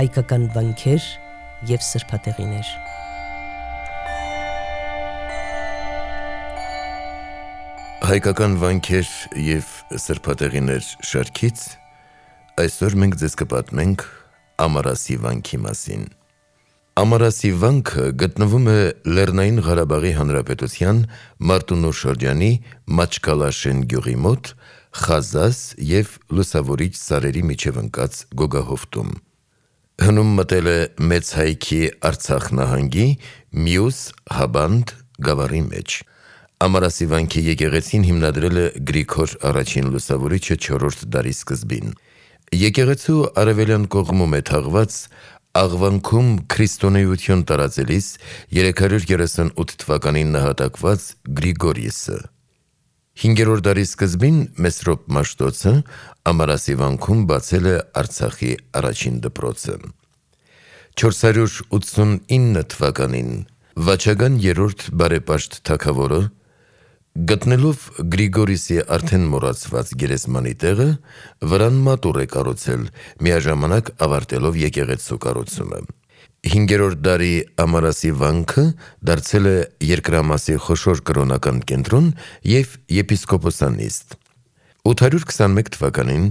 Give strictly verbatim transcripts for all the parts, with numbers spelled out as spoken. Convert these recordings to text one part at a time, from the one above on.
հայկական վանքեր և սրբատեղիներ։ Հայկական վանքեր և սրբատեղիներ շարքից այսօր մենք ձեզ կպատմենք Ամարասի վանքի մասին։ Ամարասի վանքը գտնվում է Լեռնային Ղարաբաղի Հանրապետության Մարտունու շրջանի Մաչկալաշեն գյուղի մոտ Խազաս և Լուսավորիչ սարերի միջև ընկած գոգահովտում։ Հնում մտել է Մեծ Հայքի Արցախ նահանգի Մյուս Հաբանդ գավառի մեջ։ Ամարասի վանքի եկեղեցին հիմնադրել է Գրիգոր առաջին Լուսավորիչը չորրորդ դարի սկզբին։ Եկեղեցու արևելյան կողմում է թաղված աղվանքում քրիստոնեություն տարածելիս երեք հարյուր երեսունութ թվականին նահատակված Գրիգորիոսը։ Հինգերորդ դարի սկզբին Մեսրոպ Մաշտոցը Ամարասի վանքում բացել է Արցախի առաջին դպրոցը։ չորս հարյուր ութսունինը թվականին Վաչագան երրորդ բարեպաշտ թագավորը, գտնելով Գրիգորիոսի արդեն մոռացված գերեզմանի տեղը, վրան մատուռ է կառուցել, միաժամանակ ավարտելով եկեղեցու կառուցումը։ Հինգերորդ դարի Ամարասի վանքը դարձել է երկրամասի խոշոր կրոնական կենտրոն և եպիսկոպոսանիստ։ ութ հարյուր քսանմեկ թվականին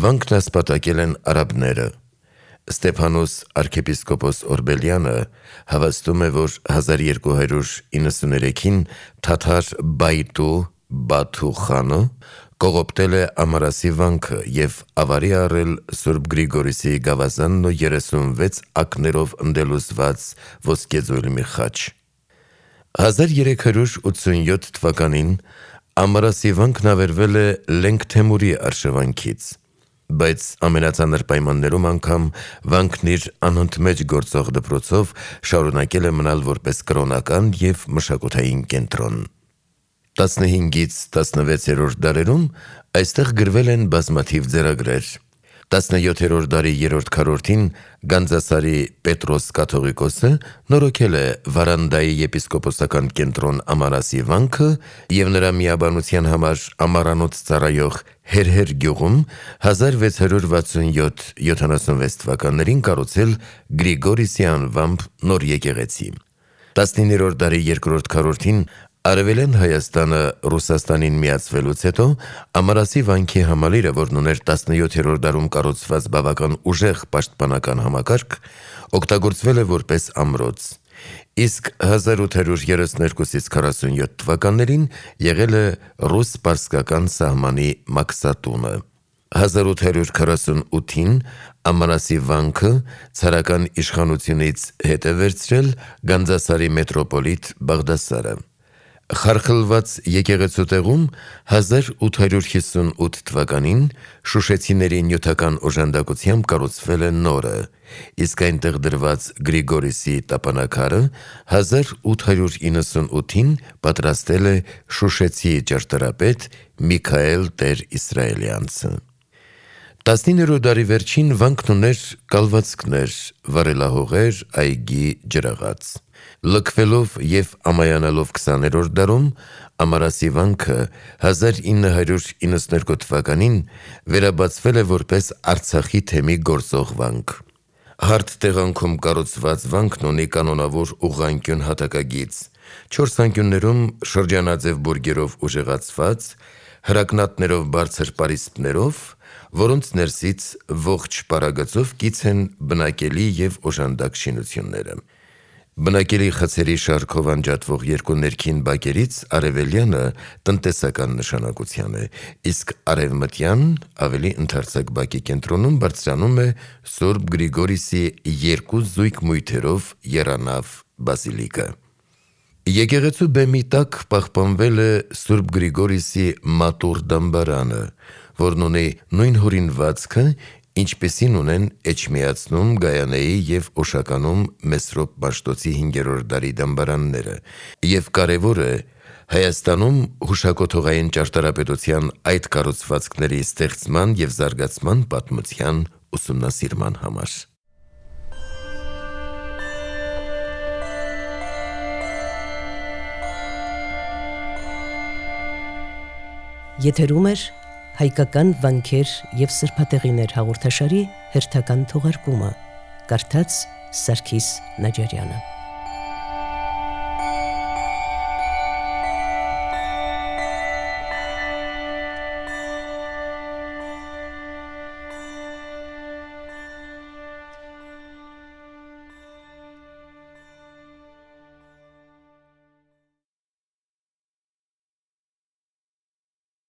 վանքն ասպատակել են արաբները։ Ստեփանոս arczepiskopos Օրբելյանը հավաստում է, որ հազար երկու հարյուր իննսուներեքին թաթար Բայտու Բաթու խանը կողոպտել է Ամարասի վանքը և ավարի առել Սուրբ Գրիգորիոսի գավազանն ու երեսունվեց ակներով ընդելուսված ոսկեձուլ մի խաչ։ հազար երեք հարյուր ութսունյոթ թվականին Ամարասի վանքն ավերվել է Լենգ Թեմուրի արշավանքից, բայց ամենածանր պայմաններում անգամ վանքն իր անընդմեջ գործող դպրոցով շարունակել է մնալ որպես կրոնական և մշակութային կենտրոն։ տասնհինգից տասնվեցերորդ դարերում այստեղ գրվել են բազմաթիվ ձեռագրեր։ տասնյոթերորդ դարի երրորդ քառորդին Գանձասարի Պետրոս կաթողիկոսը նորոգել է Վարանդայի եպիսկոպոսական կենտրոն Ամարասի վանքը և նրա միաբանության համար ամառանոց ծառայող Հերհեր գյուղում հազար վեց հարյուր վաթսունյոթ յոթանասունվեց թվականներին կառուցել Գրիգորիոսի անվամբ նոր եկեղեցի։ տասնիններորդ դարի երկրորդ քառորդին Արևելյան Հայաստանը Ռուսաստանին միացվելուց հետո Ամարասի վանքի համալիրը, որն ուներ տասնյոթերորդ դարում կառուցված բավական ուժեղ պաշտպանական համակարգ, օգտագործվել է որպես ամրոց, իսկ հազար ութ հարյուր երեսուներկուսից քառասունյոթ թվականներին եղել է ռուս-պարսկական սահմանի մաքսատունը։ հազար ութ հարյուր քառասունութին Ամարասի վանքը ցարական իշխանությունից հետ է վերցրել Գանձասարի մետրոպոլիտ Բաղդասարը։ Խարխլված եկեղեցու տեղում հազար ութ հարյուր հիսունութ թվականին շուշեցիների նյութական օժանդակությամբ կառուցվել է նորը, իսկ այնտեղ դրված Գրիգորիոսի տապանակարը հազար ութ հարյուր իննսունութին պատրաստել է շուշեցի ճարտարապետ Միքայել Տեր-Իսրայելյանցը։ տասնիններորդ դարի վերջին վանքն ուներ կալվածքներ, վարելահողեր, այգի, ջրաղաց։ Լքվելով և ամայանալով քսաներորդ դարում Ամարասի վանքը հազար ինը հարյուր իննսուներկու թվականին վերաբացվել է որպես Արցախի թեմի գործող վանք։ Հարթ տեղանքում կառուցված վանքն ունի կանոնավոր ուղղանկյուն հատակագիծ, չորս անկյուններում շրջանաձև բուրգերով ուժեղացված, հրակնատներով բարձր պարիսպներով, որոնց ներսից ողջ պարագծով կից են բնակելի և օժանդակ շինությունները։ Բնակելի խցերի շարքով անջատվող երկու ներքին բակերից արևելյանը տնտեսական նշանակության է, իսկ արևմտյան ավելի ընդարձակ բակի կենտրոնում բարձրանում է Սուրբ Գրիգորիոսի երկու զույգ մույթերով եռանավ բազիլիկը։ Եկեղեցու բեմի տակ պահպանվել է Սուրբ Գրիգորիոսի մատուռ դամբարանը, որն ունի նույն հորինվածքը, ինչպիսին ունեն Էջմիածնում, Գայանեի և Օշականում Մեսրոպ Մաշտոցի հինգերորդ դարի դամբարանները, և կարևոր է Հայաստանում հուշակոթողային ճարտարապետության այդ կառուցվածքների ստեղծման և զարգացման պատմության ուսումնասիրման համար։ Եթերում էր հայկական վանքեր և սրբատեղիներ հաղորդաշարի հերթական թողարկումը։ Կարդաց Սարգիս Նաջարյանը։